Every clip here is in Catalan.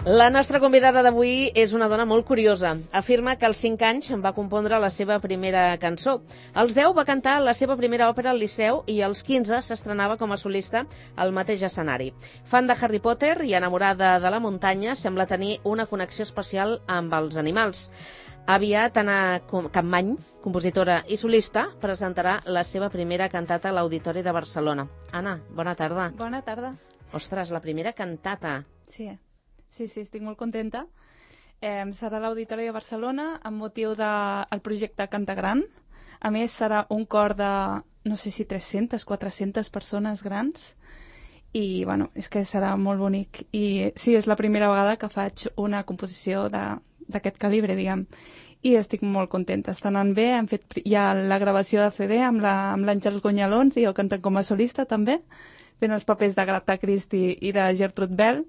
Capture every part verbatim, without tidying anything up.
La nostra convidada d'avui és una dona molt curiosa. Afirma que als cinc anys va compondre la seva primera cançó. Als deu va cantar la seva primera òpera al Liceu i als quinze s'estrenava com a solista al mateix escenari. Fan de Harry Potter i enamorada de la muntanya, sembla tenir una connexió especial amb els animals. Aviat Anna Capmany, compositora i solista, presentarà la seva primera cantata a l'Auditori de Barcelona. Anna, bona tarda. Bona tarda. Ostres, la primera cantata. Sí, sí, sí, estic molt contenta. Eh, serà a l'Auditori de Barcelona amb motiu del de, projecte Canta Gran. A més, serà un cor de, no sé si tres-centes, quatre-centes persones grans. I, bueno, és que serà molt bonic. I sí, és la primera vegada que faig una composició de d'aquest calibre, diguem. I estic molt contenta, està anant bé, hem fet ja la gravació de C D amb l'Àngels Gonyalons i jo cantant com a solista també, fent els papers d'Agatha Christie i de Gertrude Bell.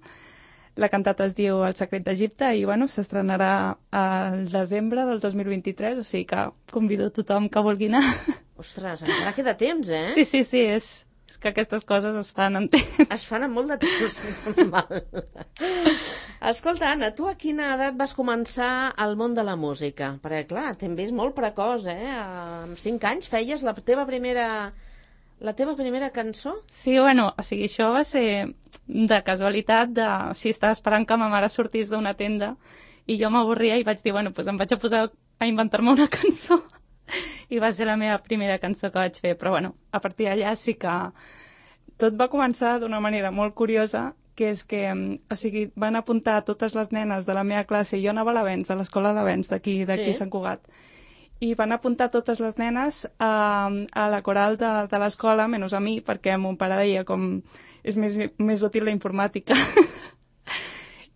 La cantata es diu El secret d'Egipte i bueno, s'estrenarà al desembre del dos mil vint-i-tres, o sigui que convido tothom que vulgui anar. Ostres, encara queda temps, eh? Sí, sí, sí, és, és que aquestes coses es fan en temps. Es fan amb molt de temps, normal. Escolta, Anna, tu a quina edat vas començar al món de la música? Perquè, clar, t'hem vist molt precoç, eh? Amb cinc anys feies la teva primera... La teva primera cançó? Sí, bueno, o sigui, això va ser de casualitat, de... O sigui, estava esperant que ma mare sortís d'una tenda i jo m'avorria i vaig dir, bueno, doncs em vaig a posar a inventar-me una cançó. I va ser la meva primera cançó que vaig fer, però bueno, a partir d'allà sí que tot va començar d'una manera molt curiosa, que és que, o sigui, van apuntar totes les nenes de la meva classe, jo anava a l'Avenç, a l'escola l'Avenç d'aquí, d'aquí sí. Sant Cugat, i van apuntar totes les nenes a, a la coral de, de l'escola, menys a mi, perquè mon pare deia com és més, més útil la informàtica.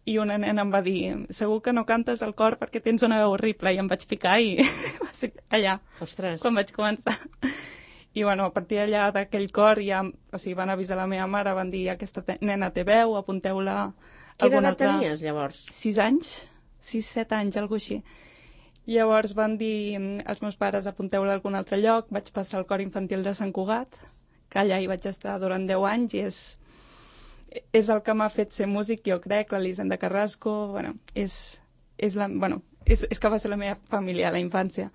I una nena em va dir, segur que no cantes al cor perquè tens una veu horrible, i em vaig picar i va ser allà, Ostres. Quan vaig començar. I bueno, a partir d'allà d'aquell cor ja, o sigui, van avisar la meva mare, van dir, aquesta nena té veu, apunteu-la a Quina algun edat altre... tenies, llavors? Sis anys, sis, set anys, alguna així. Llavors van dir als meus pares, apunteu-la a algun altre lloc, vaig passar al cor infantil de Sant Cugat, que allà hi vaig estar durant deu anys i és, és el que m'ha fet ser músic, jo crec, l'Elisenda Carrasco, bueno, és, és, la, bueno, és, és que va ser la meva família a la infància.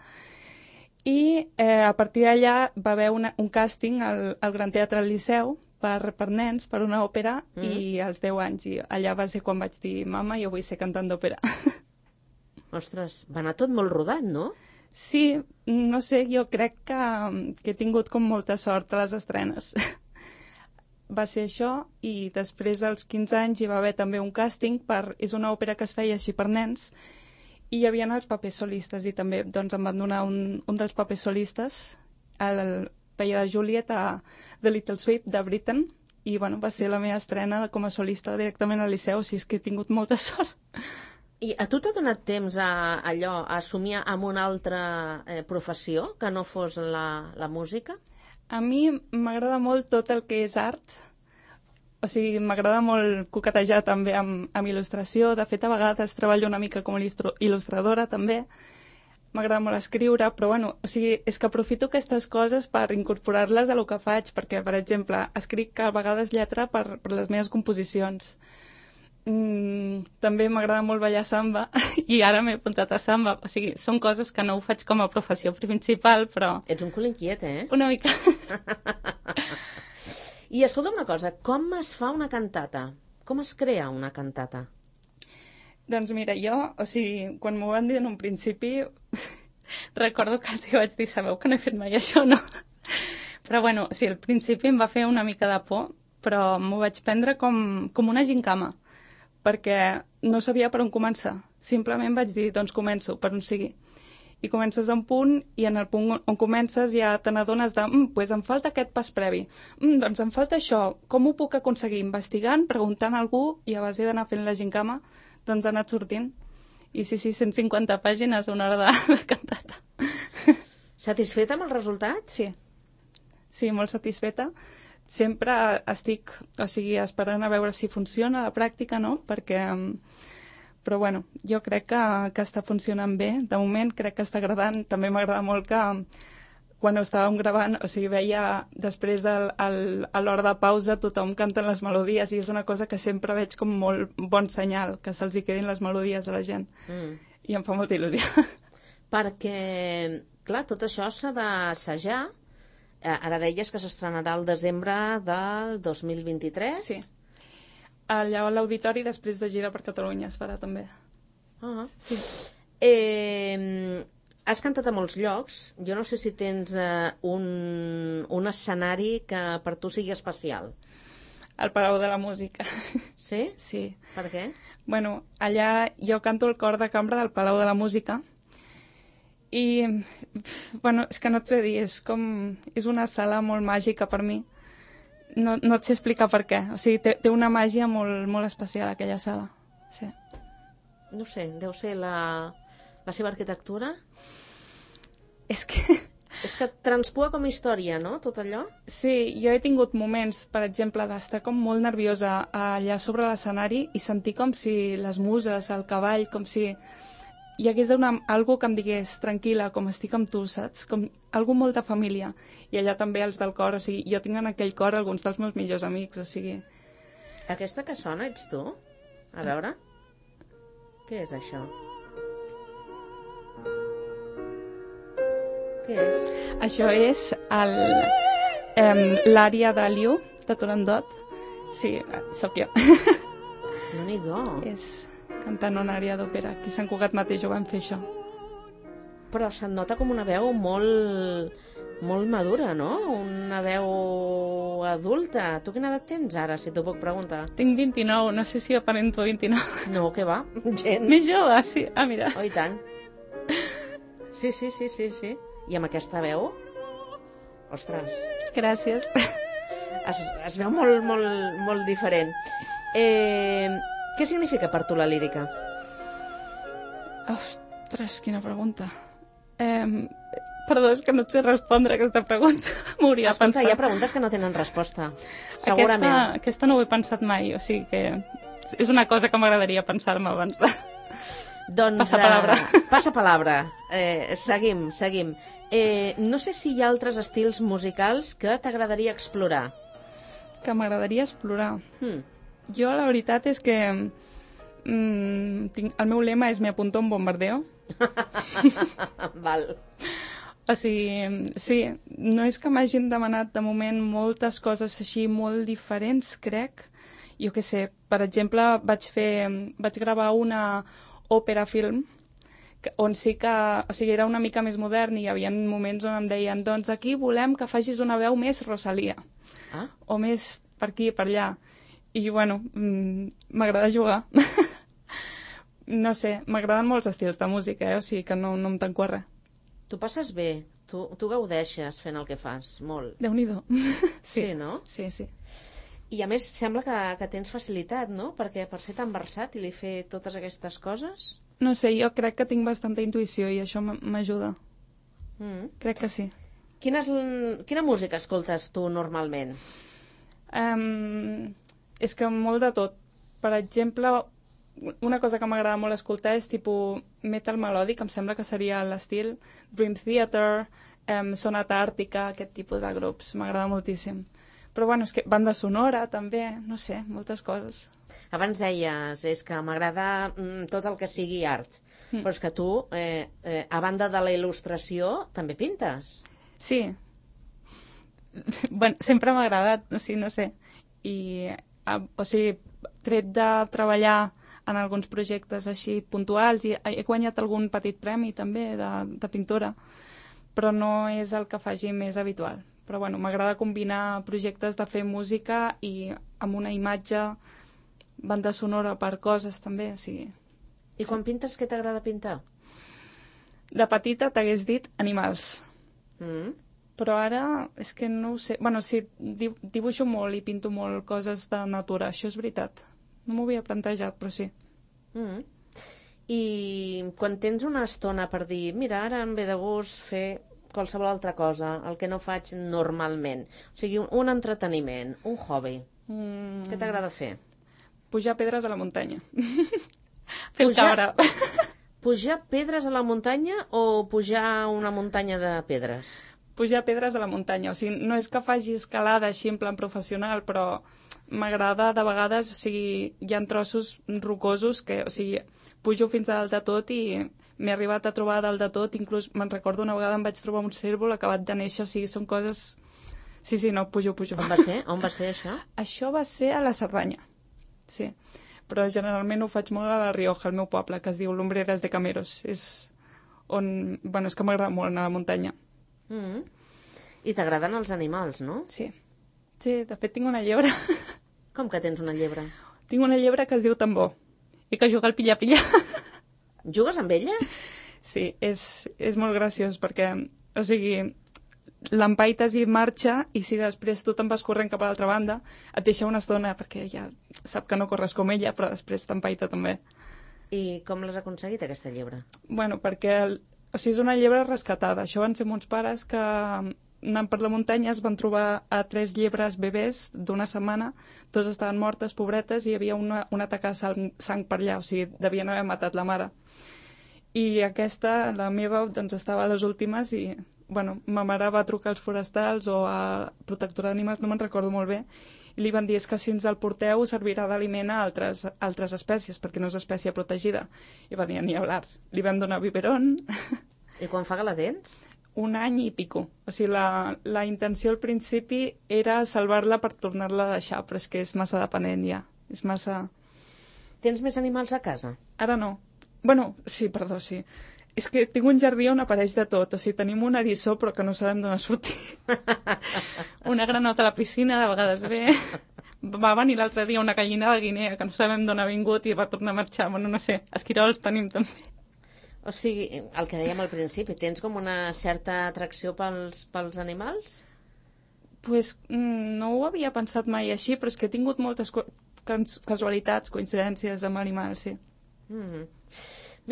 I eh, a partir d'allà va haver una, un càsting al, al Gran Teatre del Liceu per, per nens, per una òpera, mm. i als deu anys. I allà va ser quan vaig dir, mama, jo vull ser cantant d'òpera. Ostres, va anar tot molt rodat, no? Sí, no sé, jo crec que, que he tingut com molta sort a les estrenes. Va ser això, i després als quinze anys hi va haver també un càsting per... És una òpera que es feia així per nens, i hi havia els papers solistes, i també doncs, em van donar un, un dels papers solistes, el feia de Juliet a The Little Sweep de Britain, i bueno, va ser la meva estrena com a solista directament al Liceu, o sigui, és que he tingut molta sort. I a tu t'ha donat temps a allò, a somiar amb una altra eh, professió que no fos la, la música? A mi m'agrada molt tot el que és art. O sigui, m'agrada molt coquetejar també amb, amb il·lustració. De fet, a vegades treballo una mica com a il·lustradora també. M'agrada molt escriure, però bueno, o sigui, és que aprofito aquestes coses per incorporar-les a lo que faig, perquè, per exemple, escric a vegades lletra per, per les meves composicions. Mm, també m'agrada molt ballar samba i ara m'he apuntat a samba. O sigui, són coses que no ho faig com a professió principal, però... Ets un cul inquiet, eh? Una mica. I escolta una cosa, com es fa una cantata? Com es crea una cantata? Doncs mira, jo, o sigui, quan m'ho van dir en un principi, recordo que els vaig dir, sabeu que no he fet mai això, no? Però bueno, sí, al principi em va fer una mica de por, però m'ho vaig prendre com, com una gincama, perquè no sabia per on començar. Simplement vaig dir, doncs començo, per on sigui. I comences a un punt, i en el punt on comences ja te n'adones de, mm, pues em falta aquest pas previ, mm, doncs em falta això, com ho puc aconseguir? Investigant, preguntant a algú, i a base d'anar fent la gincama, doncs ha anat sortint. I sí, sí, cent cinquanta pàgines, una hora de, de cantata. Satisfeta amb el resultat? Sí, sí, molt satisfeta. Sempre estic, o sigui, esperant a veure si funciona a la pràctica, no? Perquè... Però bueno, jo crec que, que està funcionant bé. De moment crec que està agradant. També m'agrada molt que quan ho estàvem gravant, o sigui, veia després el, el, a l'hora de pausa tothom cantant les melodies i és una cosa que sempre veig com molt bon senyal, que se'ls hi quedin les melodies a la gent. Mm. I em fa molta il·lusió. Perquè, clar, tot això s'ha d'assajar. Ara deies que s'estrenarà el desembre del dos mil vint-i-tres? Sí. Allà a l'auditori, després de gira per Catalunya, es farà també. Ah. Sí. Eh, has cantat a molts llocs. Jo no sé si tens eh, un, un escenari que per tu sigui especial. El Palau de la Música. Sí? Sí. Per què? Bueno, allà jo canto el cor de cambra del Palau de la Música i, bueno, és que no et sé dir, és com... és una sala molt màgica per mi. No, no et sé explicar per què. O sigui, té, té una màgia molt, molt especial aquella sala. Sí. No sé, deu ser la, la seva arquitectura? És que... És que transpua com història, no?, tot allò? Sí, jo he tingut moments, per exemple, d'estar com molt nerviosa allà sobre l'escenari i sentir com si les muses, el cavall, com si hi hagués una, algú que em digués tranquil·la, com estic amb tu, saps? Com algú molt de família. I allà també els del cor, o sigui, jo tinc en aquell cor alguns dels meus millors amics, o sigui... Aquesta que sona ets tu? A veure... Què és això? Què és? Això és el, um, l'ària de Liu, de Turandot. Sí, sóc jo. Déu-n'hi-do. És cantant una ària d'òpera. Aquí a Sant Cugat mateix ho vam fer, això. Però se't nota com una veu molt, molt madura, no? Una veu adulta. Tu quina edat tens ara, si t'ho puc preguntar? Tinc vint-i-nou, no sé si aparento vint-i-nou. No, què va? Gens. Més jove, sí. Ah, mira. Oh, i tant. Sí, sí, sí, sí, sí. I amb aquesta veu? Ostres. Gràcies. Es, es veu molt, molt, molt diferent. Eh, què significa per tu la lírica? Ostres, quina pregunta. Eh, perdó, és que no et sé respondre aquesta pregunta. M'hauria de pensar. Hi ha preguntes que no tenen resposta. Segurament. Aquesta, aquesta no ho he pensat mai, o sigui que és una cosa que m'agradaria pensar-me abans de... Doncs, passa palabra. Uh, passa palabra. Eh, seguim, seguim. Eh, no sé si hi ha altres estils musicals que t'agradaria explorar. Que m'agradaria explorar. Hmm. Jo la veritat és que mm, tinc, el meu lema és me apunto a un bombardeo. Val. O sigui, sí, no és que m'hagin demanat de moment moltes coses així molt diferents, crec. Jo què sé, per exemple, vaig fer, vaig gravar una òpera film on sí que, o sigui, era una mica més modern i hi havia moments on em deien doncs aquí volem que facis una veu més Rosalia. Ah? O més per aquí, per allà. I, bueno, m'agrada jugar. No sé, m'agraden molts estils de música, eh? O sigui que no, no em tanco a res. Tu passes bé, tu, tu gaudeixes fent el que fas, molt. Déu-n'hi-do. Sí, sí, no? Sí, sí. I a més sembla que, que tens facilitat, no? Perquè per ser tan versàtil i fer totes aquestes coses... No sé, jo crec que tinc bastanta intuïció i això m'ajuda. Mm. Crec que sí. Quina, és, quina música escoltes tu normalment? Um, és que molt de tot. Per exemple, una cosa que m'agrada molt escoltar és tipus metal melòdic, em sembla que seria l'estil Dream Theater, um, Sonata Àrtica, aquest tipus de grups. M'agrada moltíssim. Però bueno, és que banda sonora també, no sé, moltes coses. Abans deies, és que m'agrada mm, tot el que sigui art, mm. però és que tu, eh, eh, a banda de la il·lustració, també pintes. Sí. Bueno, sempre m'ha agradat, o sigui, no sé. I, a, o sigui, tret de treballar en alguns projectes així puntuals, i he guanyat algun petit premi també de, de pintura, però no és el que faci més habitual. Però bueno, m'agrada combinar projectes de fer música i amb una imatge, banda sonora per coses també, o sigui... I quan pintes, què t'agrada pintar? De petita t'hagués dit animals. Mm. Però ara és que no ho sé... Bueno, sí, dibuixo molt i pinto molt coses de natura, això és veritat. No m'ho havia plantejat, però sí. Mm. I quan tens una estona per dir, mira, ara em ve de gust fer qualsevol altra cosa, el que no faig normalment. O sigui, un, un entreteniment, un hobby. Mm. Què t'agrada fer? Pujar pedres a la muntanya. Fer el cabra. Pujar pedres a la muntanya o pujar una muntanya de pedres? pujar pedres a la muntanya. O sigui, no és que faci escalada així en plan professional, però m'agrada de vegades, o sigui, hi ha trossos rocosos que, o sigui, pujo fins a dalt de tot i m'he arribat a trobar a dalt de tot, inclús me'n recordo una vegada em vaig trobar un cérvol acabat de néixer, o sigui, són coses... Sí, sí, no, pujo, pujo. On va ser? On va ser això? Això va ser a la Cerdanya, sí. Però generalment ho faig molt a la Rioja, al meu poble, que es diu Lumbreras de Cameros. És on... Bueno, és que m'agrada molt anar a la muntanya. Mm -hmm. I t'agraden els animals, no? Sí. Sí, de fet tinc una llebre. Com que tens una llebre? Tinc una llebre que es diu Tambor i que juga al pilla-pilla. Jugues amb ella? Sí, és, és molt graciós perquè, o sigui, l'empaites i marxa i si després tu te'n vas corrent cap a l'altra banda et deixa una estona perquè ja sap que no corres com ella, però després t'empaita també. I com l'has aconseguit, aquesta llebre? Bueno, perquè o sigui, és una llebre rescatada. Això van ser uns pares que anant per la muntanya es van trobar a tres llebres bebès d'una setmana, dos estaven mortes, pobretes, i hi havia una, una taca de sang, sang per allà, o sigui, devien haver matat la mare. I aquesta, la meva, doncs estava a les últimes i, bueno, ma mare va trucar als forestals o a protectora d'animals, no me'n recordo molt bé, i li van dir és que si ens el porteu servirà d'aliment a altres, altres espècies, perquè no és espècie protegida. I va dir, ni hablar. Li vam donar biberón. I quan fa que la tens? Un any i pico. O sigui, la, la intenció al principi era salvar-la per tornar-la a deixar, però és que és massa dependent ja. És massa... Tens més animals a casa? Ara no. Bueno, sí, perdó, sí. És que tinc un jardí on apareix de tot. O sigui, tenim un eriçó, però que no sabem d'on ha sortit. Una granota a la piscina, de vegades ve. Va venir l'altre dia una gallina de Guinea, que no sabem d'on ha vingut i va tornar a marxar. Bueno, no sé, esquirols tenim també. O sigui, el que dèiem al principi, tens com una certa atracció pels, pels animals? Pues mm, no ho havia pensat mai així, però és que he tingut moltes casualitats, coincidències amb animals, sí. Mm-hmm.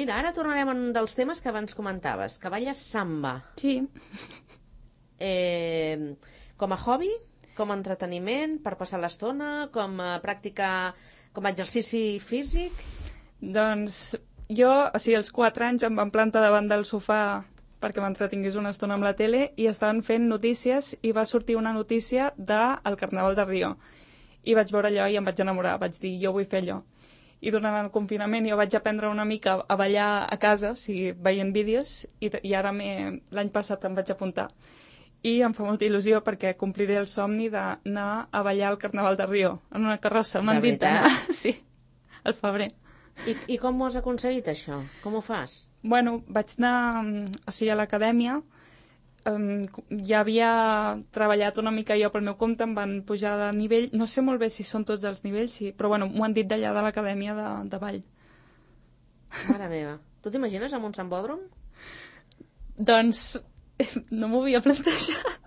Mira, ara tornarem a un dels temes que abans comentaves, que balles samba. Sí. Eh, com a hobby, com a entreteniment, per passar l'estona, com a pràctica, com a exercici físic? Doncs jo, o sigui, als quatre anys em van plantar davant del sofà perquè m'entretingués una estona amb la tele i estaven fent notícies i va sortir una notícia del Carnaval de Rio. I vaig veure allò i em vaig enamorar, vaig dir, jo vull fer allò. I durant el confinament jo vaig aprendre una mica a ballar a casa, o sigui, veient vídeos, i, i ara l'any passat em vaig apuntar. I em fa molta il·lusió perquè compliré el somni d'anar a ballar al Carnaval de Rio, en una carrossa, m'han dit d'anar. Sí, al febrer. I, I com ho has aconseguit, això? Com ho fas? Bueno, vaig anar, o sigui, a l'acadèmia, um, ja havia treballat una mica jo pel meu compte, em van pujar de nivell, no sé molt bé si són tots els nivells, sí, però bueno, m'ho han dit d'allà de l'acadèmia de, de ball. Mare meva. Tu t'imagines amb un sambòdrom? Doncs no m'ho havia plantejat.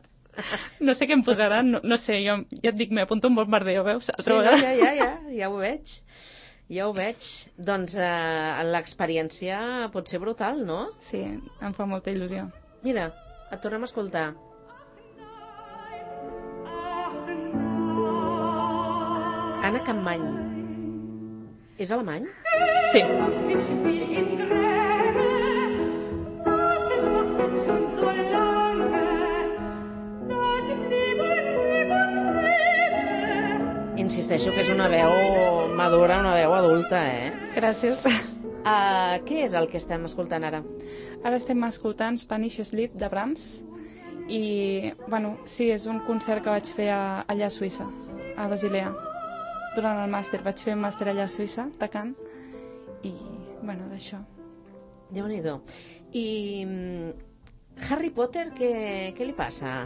No sé què em posaran, no, no sé, jo ja et dic, m'apunto un bombardeo, veus? Sí, no, ja, ja, ja, ja ho veig. Ja ho veig. Doncs eh, l'experiència pot ser brutal, no? Sí, em fa molta il·lusió. Mira, et tornem a escoltar. Anna Campmany. És alemany? Sí. Insisteixo que és una veu madura, una veu adulta, eh? Gràcies. Uh, què és el que estem escoltant ara? Ara estem escoltant Spanish Sleep de Brahms i, bueno, sí, és un concert que vaig fer a, allà a Suïssa, a Basilea. Durant el màster, vaig fer un màster allà a Suïssa, tocant, i, bueno, d'això. Déu-n'hi-do. I Harry Potter, què, què li passa?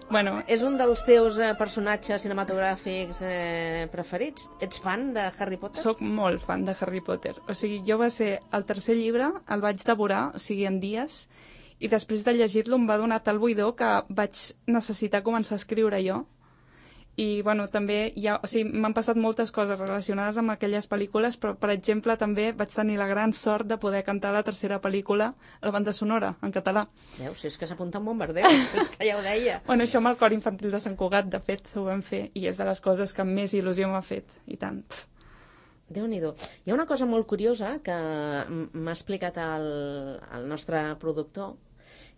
Bueno, és un dels teus eh, personatges cinematogràfics eh, preferits? Ets fan de Harry Potter? Soc molt fan de Harry Potter. O sigui, jo va ser el tercer llibre, el vaig devorar, o sigui, en dies, i després de llegir-lo em va donar tal buidor que vaig necessitar començar a escriure jo. I, bueno, també hi ha, o sigui, m'han passat moltes coses relacionades amb aquelles pel·lícules, però, per exemple, també vaig tenir la gran sort de poder cantar la tercera pel·lícula a la banda sonora, en català. Veus, si és que s'apunta un bombardeu, és que ja ho deia. Bueno, això amb el cor infantil de Sant Cugat, de fet, ho vam fer, i és de les coses que més il·lusió m'ha fet, i tant. Déu-n'hi-do. Hi ha una cosa molt curiosa que m'ha explicat el, el nostre productor,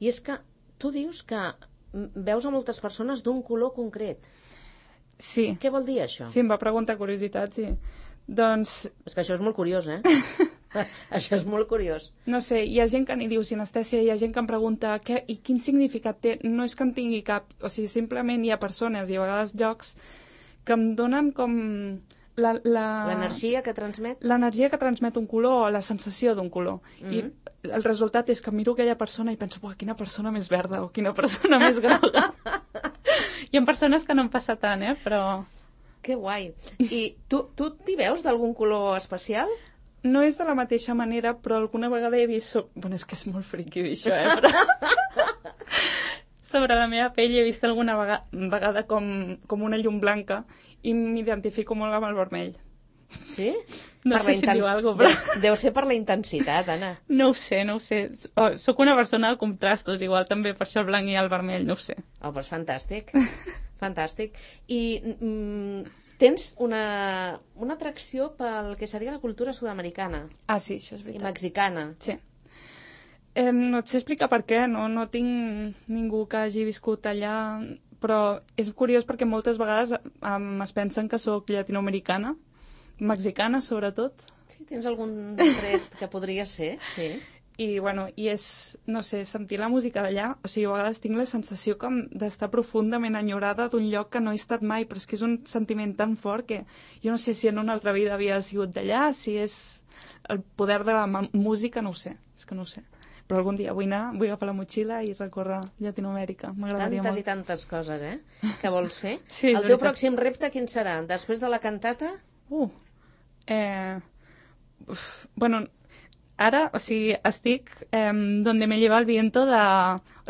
i és que tu dius que veus a moltes persones d'un color concret. Sí. Què vol dir això? Sí, em va preguntar curiositat, sí. Doncs... És que això és molt curiós, eh? Això és molt curiós. No sé, hi ha gent que n'hi diu sinestèsia, hi ha gent que em pregunta què, i quin significat té. No és que en tingui cap, o sigui, simplement hi ha persones i a vegades llocs que em donen com... L'energia que transmet? L'energia que transmet un color o la sensació d'un color. Mm-hmm. I el resultat és que miro aquella persona i penso, quina persona més verda o quina persona més groga. Hi ha persones que no em passa tant, eh, però... Que guai. I tu, tu t'hi veus d'algun color especial? No és de la mateixa manera, però alguna vegada he vist... So... Bueno, és que és molt friqui dir això, eh? Però... sobre la meva pell he vist alguna vegada, vegada com, com una llum blanca i m'identifico molt amb el vermell. Sí? No per sé si inten... diu alguna cosa, però... Deu, deu ser per la intensitat, Anna. No ho sé, no ho sé. Oh, soc una persona de contrastos, igual també per això el blanc i el vermell, no ho sé. Oh, doncs fantàstic. Fantàstic. I... Mm, tens una, una atracció pel que seria la cultura sud-americana. Ah, sí, això és veritat. I mexicana. Sí. Eh, no et sé explicar per què, no, no tinc ningú que hagi viscut allà, però és curiós perquè moltes vegades um, es pensen que sóc llatinoamericana, mexicana sobretot. Sí, tens algun tret que podria ser, sí. I, bueno, i és, no sé, sentir la música d'allà, o sigui, a vegades tinc la sensació com d'estar profundament enyorada d'un lloc que no he estat mai, però és que és un sentiment tan fort que jo no sé si en una altra vida havia sigut d'allà, si és el poder de la música, no ho sé, és que no ho sé. Però algun dia vull anar, vull agafar la motxilla i recórrer Llatinoamèrica, m'agradaria molt. Tantes i tantes coses, eh, que vols fer. Sí, el teu veritat. Pròxim repte quin serà? Després de la cantata? Uh, eh, uf, bueno... Ara, o sigui, estic eh, donde me lleva el viento de...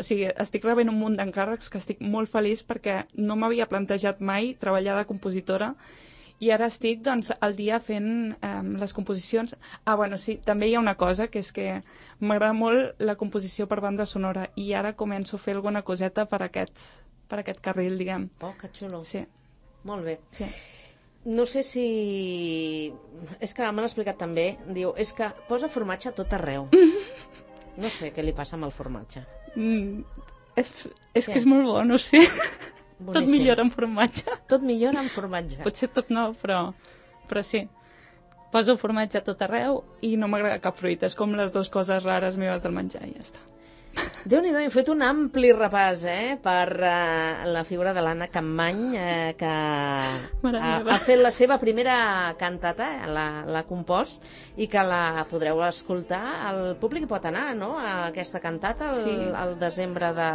O sigui, estic rebent un munt d'encàrrecs que estic molt feliç perquè no m'havia plantejat mai treballar de compositora i ara estic, doncs, al dia fent eh, les composicions. Ah, bueno, sí, també hi ha una cosa, que és que m'agrada molt la composició per banda sonora i ara començo a fer alguna coseta per aquest, per aquest carril, diguem. Oh, que xulo. Sí. Molt bé. Sí. No sé si... És que m'han explicat també, diu, és que posa formatge a tot arreu. No sé què li passa amb el formatge. Mm, és és que és molt bo, no sé. Boníssim. Tot millora amb formatge. Tot millora amb formatge. Potser tot no, però, però sí. Poso formatge a tot arreu i no m'agrada cap fruita. És com les dues coses rares meves del menjar i ja està. Déu-n'hi-do, hem fet un ampli repàs eh, per uh, la figura de l'Anna Campmany, eh, que ha, ha fet la seva primera cantata, eh, l'ha compost, i que la podreu escoltar. El públic pot anar, no?, a aquesta cantata el, sí. el desembre de,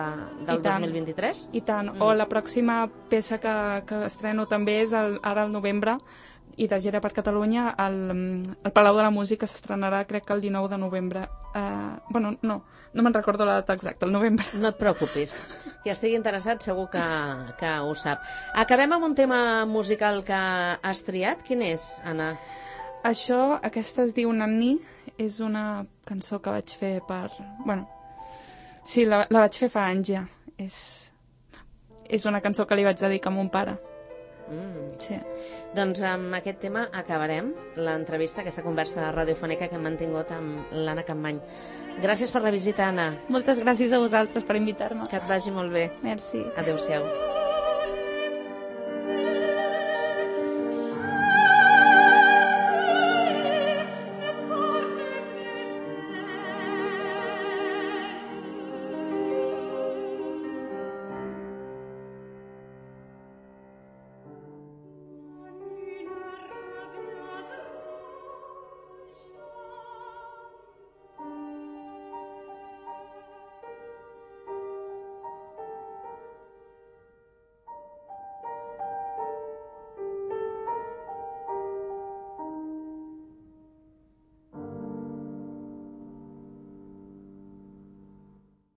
del dos mil vint-i-tres. I tant, mm. o la pròxima peça que, que estreno també és el, ara al novembre, i de gira per Catalunya, el, el Palau de la Música s'estrenarà, crec que el dinou de novembre. Uh, bueno, no, no me'n recordo la data exacta, el novembre. No et preocupis, qui estigui interessat segur que, que ho sap. Acabem amb un tema musical que has triat. Quin és, Anna? Això, aquesta es diu Nanni, és una cançó que vaig fer per... Bueno, sí, la, la vaig fer fa anys ja. És, és una cançó que li vaig dedicar a mon pare. Mm. Sí. Doncs amb aquest tema acabarem l'entrevista, aquesta conversa radiofònica que hem mantingut amb l'Anna Campmany. Gràcies per la visita, Anna. Moltes gràcies a vosaltres per invitar-me. Que et vagi molt bé. Merci. Adéu-siau.